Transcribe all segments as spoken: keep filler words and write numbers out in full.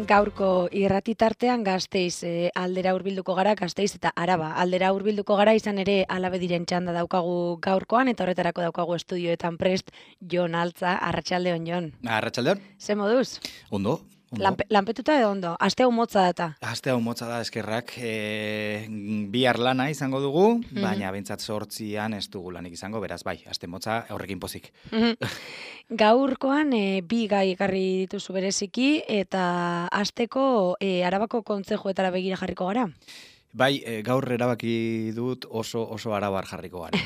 Gaurko irratitartean Gasteiz e, aldera hurbilduko gara, Gasteiz eta Araba aldera hurbilduko gara, izan ere Alabe diren txanda daukagu gaurkoan, eta horretarako daukagu estudioetan prest Jon Altza. Arratsaldeon, Jon. Arratsaldeon. Ze moduz? Ondo. Ondo. Lanpe, lanpetuta edo ondo? Aste hau motza data? Aste hau motza da, eskerrak. E, bihar lana izango dugu, mm-hmm. baina bentsat sortzian ez dugu lanik izango, beraz bai, aste motza horrekin pozik. Mm-hmm. Gaurkoan e, bi gai ekarri dituzu bereziki, eta asteko e, Arabako kontzejuetara begira jarriko gara? Bai, e, gaur erabaki dut oso oso arabar jarriko gara.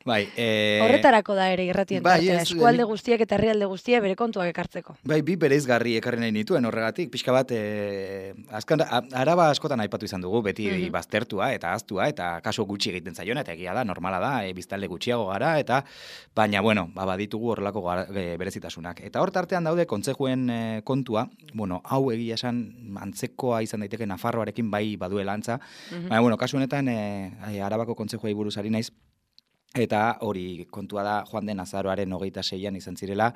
Bai, e... Horretarako da ere irratien bai, tartea, ez, eskualde guztiak eta herrialde guztiak bere kontuak ekartzeko. Bai, bi bereizgarri ekarri nahi nituen horregatik, pixka bat, e, azkan, Araba askotan aipatu izan dugu, beti mm-hmm. baztertua eta aztua, eta kaso gutxi egiten zaiona, eta egia da, normala da, e, biztalde gutxiago gara, eta baina, bueno, ba, baditugu horrelako gara, e, berezitasunak. Eta hor tartean daude, kontzejuen e, kontua, bueno, hau egia esan antzekoa izan daiteke Nafarroarekin bai baduela antza, mm-hmm. baina, bueno, kasu honetan, e, Arabako kontzejuei buruz ari naiz, eta hori kontua da joan den azaroaren hogeita seian izan zirela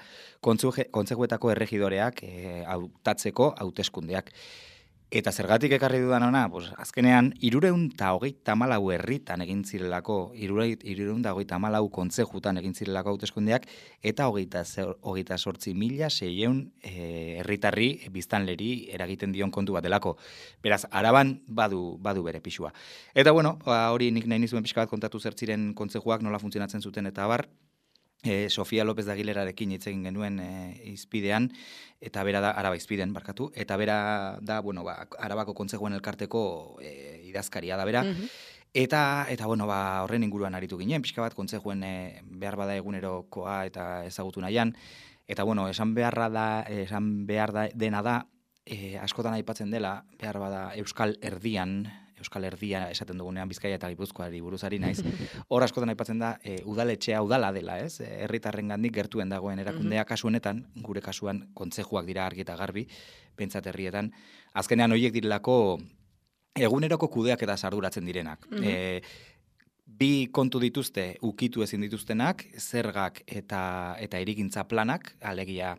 kontzejuetako erregidoreak e, hautatzeko hauteskundeak. Eta zergatik ekarri dudan ona, pues, azkenean, irureun eta hogeita malau herritan egin zirelako, irureun eta hogeita malau kontzejutan egin zirelako hauteskundeak, eta hogeita sortzi mila seieun herritarri e, biztanleri eragiten dion kontu bat delako. Beraz, Araban badu, badu bere pixua. Eta bueno, ba, hori nik nahi nizuen pixka bat kontatu zertziren kontzejuak nola funtzionatzen zuten eta bar, E, Sofia López de Aguilerarekin hitz egin genuen e, izpidean, eta bera da, Araba izpiden, barkatu, eta bera da, bueno, ba, Arabako kontzejuen elkarteko e, idazkaria da bera, mm-hmm. eta, eta, bueno, ba, horren inguruan aritu ginen, pixka bat kontzejuen e, behar bada egunerokoa eta ezagutu nahian, eta, bueno, esan beharra da, esan behar da, dena da, e, askotan aipatzen dela, behar bada Euskal Erdian, Euskal Herdia esaten dugunean Bizkaia eta Gipuzkoari buruzari naiz. Hor askotan aipatzen da e, udaletxea udala dela, ez? Herritarrengandik gertuen dagoen erakundea, kasu honetan, gure kasuan kontzejuak dira argi eta garbi, pentsat herrietan. Azkenean horiek direlako eguneroko kudeak eta sarduratzen direnak. Mm-hmm. E, bi kontu dituzte ukitu ezin dituztenak, zergak eta eta hirigintza planak, alegia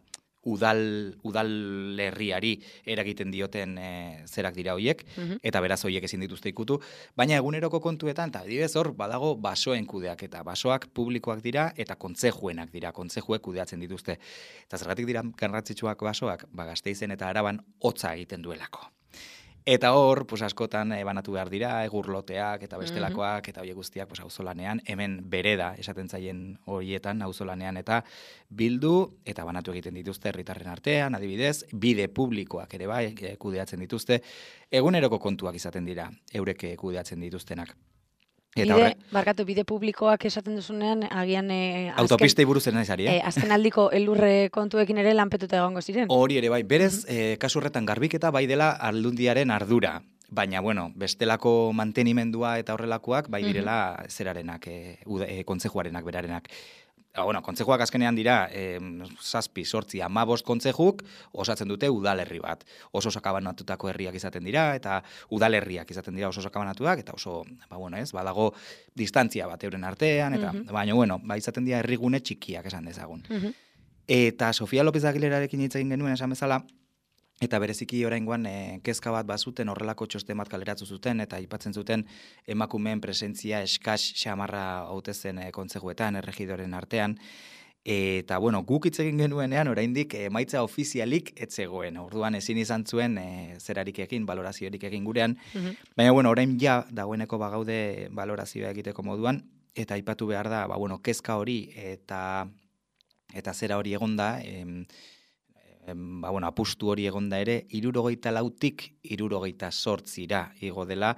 udal udalerriari eragiten dioten e, zerak dira hoiek, mm-hmm. eta beraz hoiek ezin dituzte ikutu, baina eguneroko kontuetan, eta adibidez hor, badago basoen kudeak, eta basoak publikoak dira, eta kontzejuenak dira, kontzejuek kudeatzen dituzte. Eta zergatik dira garrantzitsuak basoak, ba, Gasteizen eta Araban hotza egiten duelako. Eta hor, pues, askotan e, banatu behar dira, egurloteak eta bestelakoak, mm-hmm. eta horiek guztiak pues, auzolanean, hemen bereda esaten zaien horietan auzolanean, eta bildu eta banatu egiten dituzte herritarren artean, adibidez, bide publikoak ere bai, e, kudeatzen dituzte, eguneroko kontuak izaten dira, eurek kudeatzen dituztenak. Bide, horre, barkatu, bide publikoak esaten duzunean, agian... E, autopistei buruz zen ezari, eh? E, azken aldiko elurre kontuekin ere lanpetuta egongo ziren. Hori ere bai, berez, mm-hmm. e, kasu horretan garbiketa bai dela aldundiaren ardura. Baina, bueno, bestelako mantenimendua eta horrelakoak, bai direla mm-hmm. zerarenak, e, e, kontzejuarenak, berarenak. Bueno, kontzejuak azkenean dira, eh, zazpi, sortzi, amabost kontzejuk osatzen dute udalerri bat. Oso sakabanatutako herriak izaten dira, eta udalerriak izaten dira oso sakabanatuak, eta oso, ba, bueno, ez, badago distantzia bat euren artean, eta, mm-hmm. baina, bueno, ba, izaten dira herrigune txikiak esan dezagun. Mm-hmm. Eta Sofia López de Aguilerarekin hitz egin genuen esan bezala, eta bereziki oraingoan e, kezka bat bazuten horrelako txosten bat kaleratu zuten eta aipatzen zuten emakumeen presentzia eskas xamarra hautezen e, kontzejuetan, erregidoren artean. Eta, bueno, guk hitz egin genuenean oraindik emaitza ofizialik etzegoen. Orduan ezin izan zuen e, zerarik egin, baloraziorik egin gurean. Mm-hmm. Baina, bueno, orain ja dagoeneko bagaude balorazioa egiteko moduan, eta aipatu behar da, ba, bueno, kezka hori eta, eta zera hori egonda, em, ba, bueno, apustu hori egonda ere, irurogeita lautik irurogeita sortzira igo dela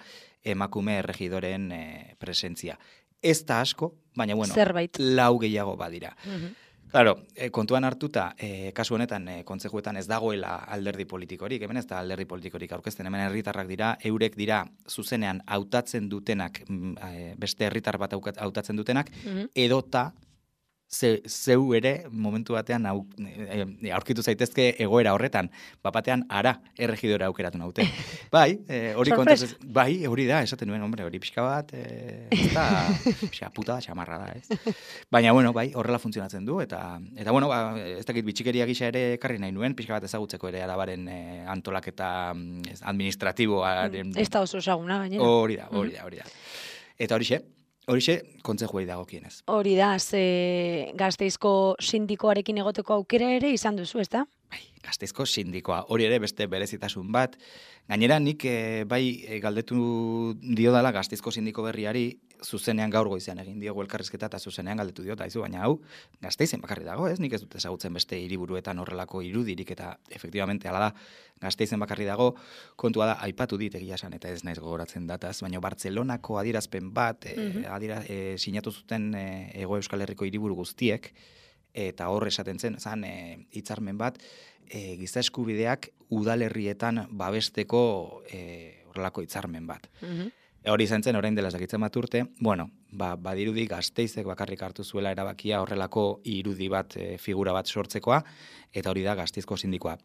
emakume erregidoren e, presentzia. Ez da asko, baina, bueno, zerbait. Lau gehiago badira. Mm-hmm. Claro, e, kontuan hartuta, e, kasu honetan, e, kontzejuetan ez dagoela alderdi politikorik, hemen ez da alderdi politikorik aurkezten, hemen herritarrak dira, eurek dira zuzenean hautatzen dutenak, e, beste herritar bat hautatzen dutenak, mm-hmm. edota ze, zeu ere momentu batean au, e, aurkitu zaitezke egoera horretan, bapatean ara erregidora aukeratu naute. Bai, e, hori kontez, bai, hori da, esaten nuen, hombre, hori pixka bat, e, ez da, pixka puta da, xamarra da, ez? Baina, bueno, bai, horrela funtzionatzen du, eta, eta bueno, ba, ez dakit bitxikeria gisa ere ekarri nahi nuen, pixka bat ezagutzeko ere arabaren e, antolaketa administratiboaren... Ez da oso esaguna, gainera. Hori da, hori da, hori da. Eta horixe, horixe kontzejuei dagokienez. Hori da, ze Gasteizko sindikoarekin egoteko aukera ere izan duzu, ez da? Bai, Gasteizko sindikoa, hori ere beste berezitasun bat. Gainera nik e, bai e, galdetu diodala Gasteizko sindiko berriari zuzenean gaur goizean egin diogu elkarrizketa eta zuzenean galdetu diot, aizu, baina hau Gasteizen bakarri dago, ez? Nik ez dut ezagutzen beste hiriburuetan horrelako irudirik eta efektibamente hala da Gasteizen bakarri dago, kontua da aipatu dit egia esan eta ez naiz gogoratzen dataz, baina Bartzelonako adierazpen bat e, mm -hmm. adira, e, sinatu zuten e, Hego Euskal Herriko hiriburu guztiek eta hor esaten zen, zan hitzarmen e, bat e, giza eskubideak udalerrietan babesteko e, horrelako hitzarmen bat. Mm-hmm. E, hori izan zen, orain dela ezakitzen bat urte, bueno, ba, badirudi Gasteizek bakarrik hartu zuela erabakia horrelako irudi bat, e, figura bat sortzekoa, eta hori da Gasteizko sindikoa.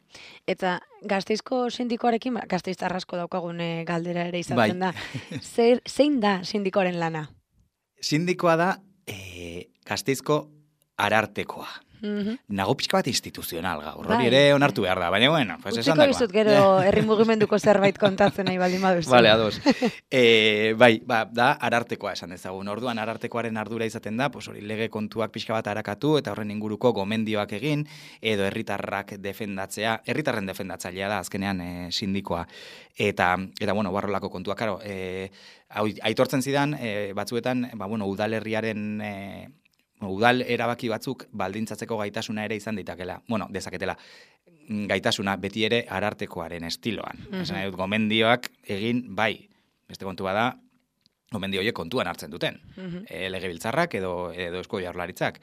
Eta Gasteizko sindikoarekin, Gasteiztar asko daukagun e, galdera ere izaten bai. da. Zer, zein da sindikoaren lana? Sindikoa da e, Gasteizko arartekoa. Mm-hmm. Nago pixka bat instituzional gaur, hori ere onartu behar da, baina bueno, pues esan dagoa. Utziko bizut gero herri mugimenduko zerbait kontatzen nahi baldin baduzu. Vale, ados. e, bai, ba, da arartekoa esan dezagun. Orduan arartekoaren ardura izaten da, pues hori lege kontuak pixka bat arakatu eta horren inguruko gomendioak egin edo herritarrak defendatzea, herritarren defendatzailea da azkenean e, sindikoa. Eta eta bueno, barrolako kontuak, claro, eh aitortzen zidan e, batzuetan, ba bueno, udalerriaren e, udal erabaki batzuk baldintzatzeko gaitasuna ere izan ditakela. Bueno, dezaketela. Gaitasuna beti ere arartekoaren estiloan. Mm-hmm. Esan dut, gomendioak egin bai. Beste kontua da, gomendio horiek kontuan hartzen duten. Mm-hmm. E, legebiltzarrak edo edo Eusko Jaurlaritzak.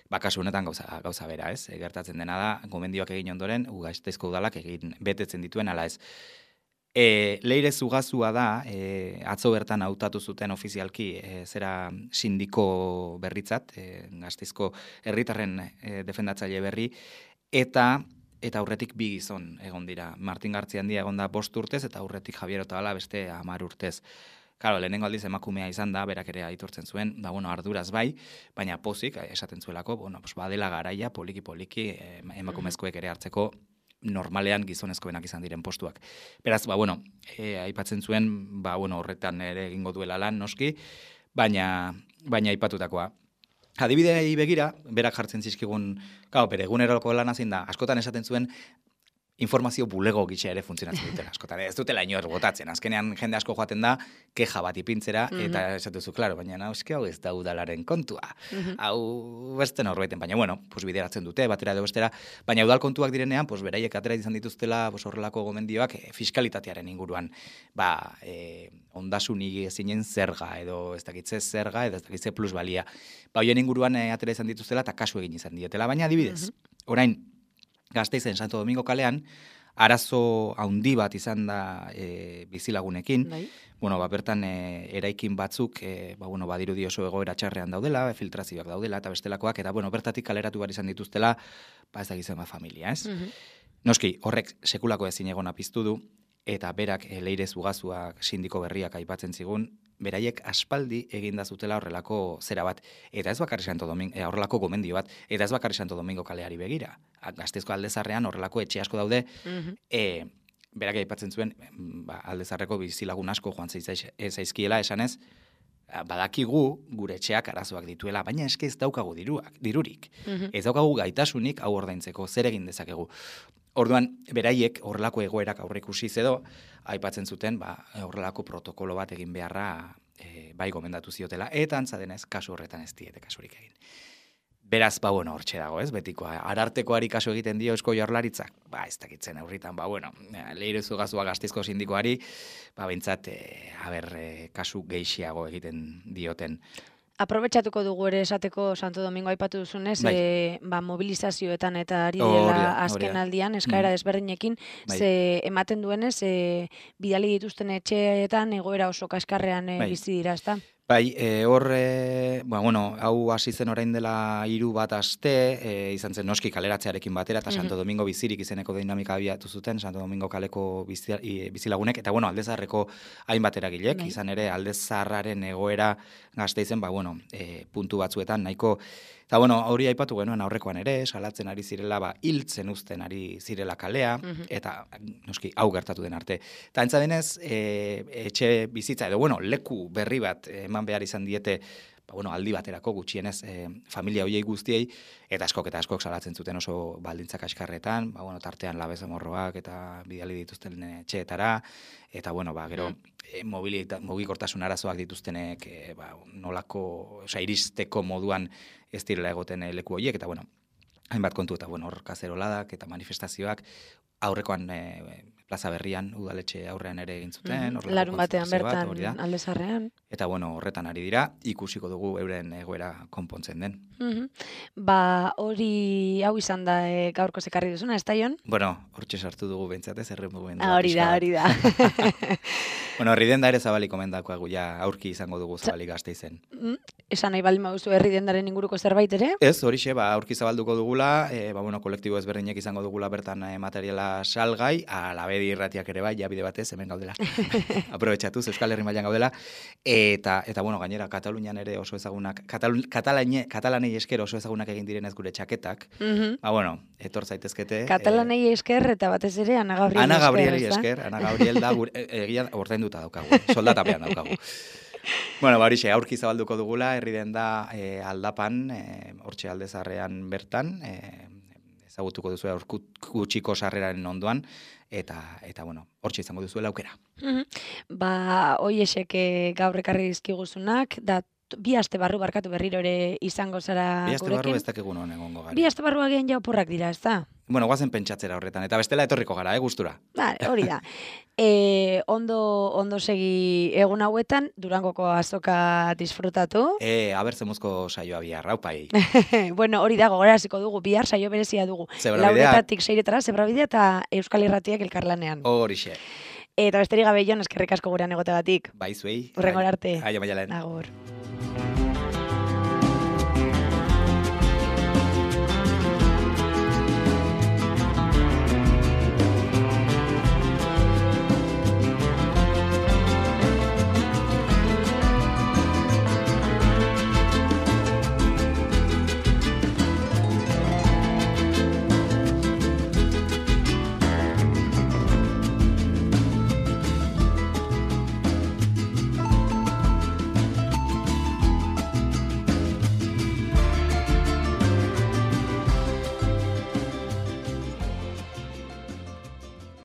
Ba, kasu honetan gauza, gauza bera, ez? E, gertatzen dena da, gomendioak egin ondoren, Gasteizko udalak egin betetzen dituen ala ez. E, Leire Zugazua da, e, atzo bertan hautatu zuten ofizialki e, zera sindiko berritzat, e, Gasteizko herritarren e, defendatzaile berri, eta eta aurretik bi gizon egon dira. Martin Gartziandia egon da bost urtez, eta aurretik Javier Otabala beste hamar urtez. Claro, lehenengo aldiz emakumea izan da, berak ere aitortzen zuen, ba, bueno, arduraz bai, baina pozik, esaten zuelako, bueno, pues, badela garaia, poliki-poliki, emakumezkoek ere hartzeko, normalean gizonezkoenak izan diren postuak. Beraz, ba, bueno, e, aipatzen zuen, ba, bueno, horretan ere egingo duela lan noski, baina, baina aipatutakoa. Adibidei begira, berak jartzen zizkigun, gau, bere eguneroko lan zein da, askotan esaten zuen, informazio bulego gitxe ere funtzionatzen dutela askotan. Ez dutela inor botatzen. Azkenean jende asko joaten da, keja bat ipintzera, mm-hmm. eta esatuzu, klaro, baina nauski hau ez da udalaren kontua. Mm-hmm. Hau beste norbaiten, baina bueno, pues bideratzen dute, batera edo bestera, baina udal kontuak direnean, pues beraiek atera izan dituztela, pues horrelako gomendioak e, fiskalitatearen inguruan, ba, e, ondasun ezinen zerga, edo ez dakitze zerga, edo ez dakitze plusbalia. Ba, hoien inguruan e, atera izan dituztela, eta kasu egin izan dietela, baina adibidez, mm-hmm. orain, Gasteizen Santo Domingo kalean, arazo handi bat izan da e, bizilagunekin. Bai. Bueno, ba, bertan e, eraikin batzuk, e, ba, bueno, badirudi oso egoera txarrean daudela, filtrazioak daudela, eta bestelakoak, eta bueno, bertatik kaleratu behar izan dituztela, ba ez da gizema familia, ez? Mm-hmm. Noski, horrek sekulako ezin egona piztu du, eta berak e, Leire Zugazuak sindiko berriak aipatzen zigun, beraiek aspaldi eginda zutela horrelako zera bat, eta ez bakarri Santo Domingo, e, horrelako gomendio bat, eta ez bakarri Santo Domingo kaleari begira. Gasteizko Aldezarrean horrelako etxe asko daude, mm-hmm. e, berak aipatzen zuen, ba, Aldezarreko bizilagun asko joan zaizkiela esanez, badakigu gure etxeak arazoak dituela, baina eske ez daukagu diruak, dirurik. Mm-hmm. Ez daukagu gaitasunik hau ordaintzeko, zer egin dezakegu. Orduan, beraiek horrelako egoerak aurreikusi edo aipatzen zuten, ba, horrelako protokolo bat egin beharra e, bai gomendatu ziotela, eta antza denez kasu horretan ez diete kasurik egin. Beraz, ba, bueno, hortxe dago, ez, betikoa. Arartekoari kasu egiten dio Eusko Jaurlaritzak, ba, ez dakitzen aurritan, ba, bueno, Leire Zugazua Gasteizko sindikoari, ba, bintzat, e, haber, e, kasu geixiago egiten dioten. Aprobetxatuko dugu ere esateko Santo Domingo aipatu duzunez, bai. e, ba, mobilizazioetan eta ari dela azken aldian, eskaera mm. desberdinekin, bai. Ze ematen duenez, e, bidali dituzten etxeetan egoera oso kaskarrean e, bai. bizi dira, ezta? Bai, e, hor, e, ba, bueno, hau hasi zen orain dela hiru bat aste, e, izan zen noski kaleratzearekin batera, eta Santo Domingo bizirik izeneko dinamika abiatu zuten, Santo Domingo kaleko bizi, i, bizilagunek, eta bueno, Aldezarreko hainbat eragilek, Bai. izan ere Aldezarraren egoera Gasteizen, ba, bueno, e, puntu batzuetan nahiko. Eta bueno, hori aipatu genuen aurrekoan ere, salatzen ari zirela, ba, hiltzen uzten ari zirela kalea, eta noski hau gertatu den arte. Eta entza denez, e, etxe bizitza, edo bueno, leku berri bat eman behar izan diete, ba, bueno, aldi baterako gutxienez e, familia hoiei guztiei, eta askok eta askok salatzen zuten oso baldintzak askarretan, ba, bueno, tartean labezamorroak eta bidali dituzten etxeetara, eta bueno, ba, gero, e, mugikortasun arazoak dituztenek, e, ba, nolako, osea, iristeko moduan ez direla egoten e, leku horiek, eta bueno, hainbat kontu, eta bueno, hor kazeroladak eta manifestazioak, aurrekoan e, plaza berrian, udaletxe aurrean ere egin zuten. Mm -hmm. Larun batean bertan, Aldezarrean. Eta bueno, horretan ari dira, ikusiko dugu euren egoera konpontzen den. Mm -hmm. Ba, hori hau izan da e, gaurko zekarri duzuna, ez da, Jon? Bueno, hortxe sartu dugu bentsatez, erremugendu. Ah, hori da, hori da. Bueno, herri denda ere zabalik omendakoagu, ja, aurki izango dugu zabalik Gasteizen. Mm, esan nahi baldin baduzu herri dendaren inguruko zerbait ere? Ez, horixe, ba, aurki zabalduko dugula, e, ba, bueno, kolektibo ezberdinek izango dugula bertan e, materiala salgai, alabedi irratiak ere bai, ja bide batez, hemen gaudela. Aprobetxatuz, Euskal Herri mailan gaudela, eta, eta bueno, gainera, Katalunian ere oso ezagunak, Katalun, Katalane, Katalanei esker oso ezagunak egin direnez gure txaketak, mm -hmm. ba, bueno, etor zaitezkete. Katalanei esker eta batez ere Ana Gabriel Ana Gabrieli esker, Ana Gabriel da, gure, egia ordainduta daukagu, soldatapean daukagu. Bueno, ba, horixe, aurki zabalduko dugula, herri den da e, aldapan, e, hortxe Aldezarrean bertan, e, ezagutuko duzu aur gutxiko sarreraren ondoan, eta, eta bueno, hortxe izango duzuela aukera. Mm -hmm. Ba, hoiesek gaur ekarri dizkiguzunak, da bi aste barru barkatu berriro ere izango zara gurekin. Bi aste barru ez dakigun honen egongo gara. Bi aste barru agian ja oporrak dira, ez da? Bueno, guazen pentsatzera horretan, eta bestela etorriko gara, eh, gustura. Vale, hori da. E, ondo, ondo segi egun hauetan, Durangoko azoka disfrutatu. E, aber zemuzko saioa bihar, raupai. Bueno, hori da, gogoraziko dugu, bihar saio berezia dugu. Lauretatik seiretara, Zebrabidea eta Euskal Irratiak elkarlanean. Horixe. Eta besterik gabe, Jon, eskerrik asko gurean egoteagatik. Bai, zuei. Hurrengora arte. Aio, Maialen. Agur.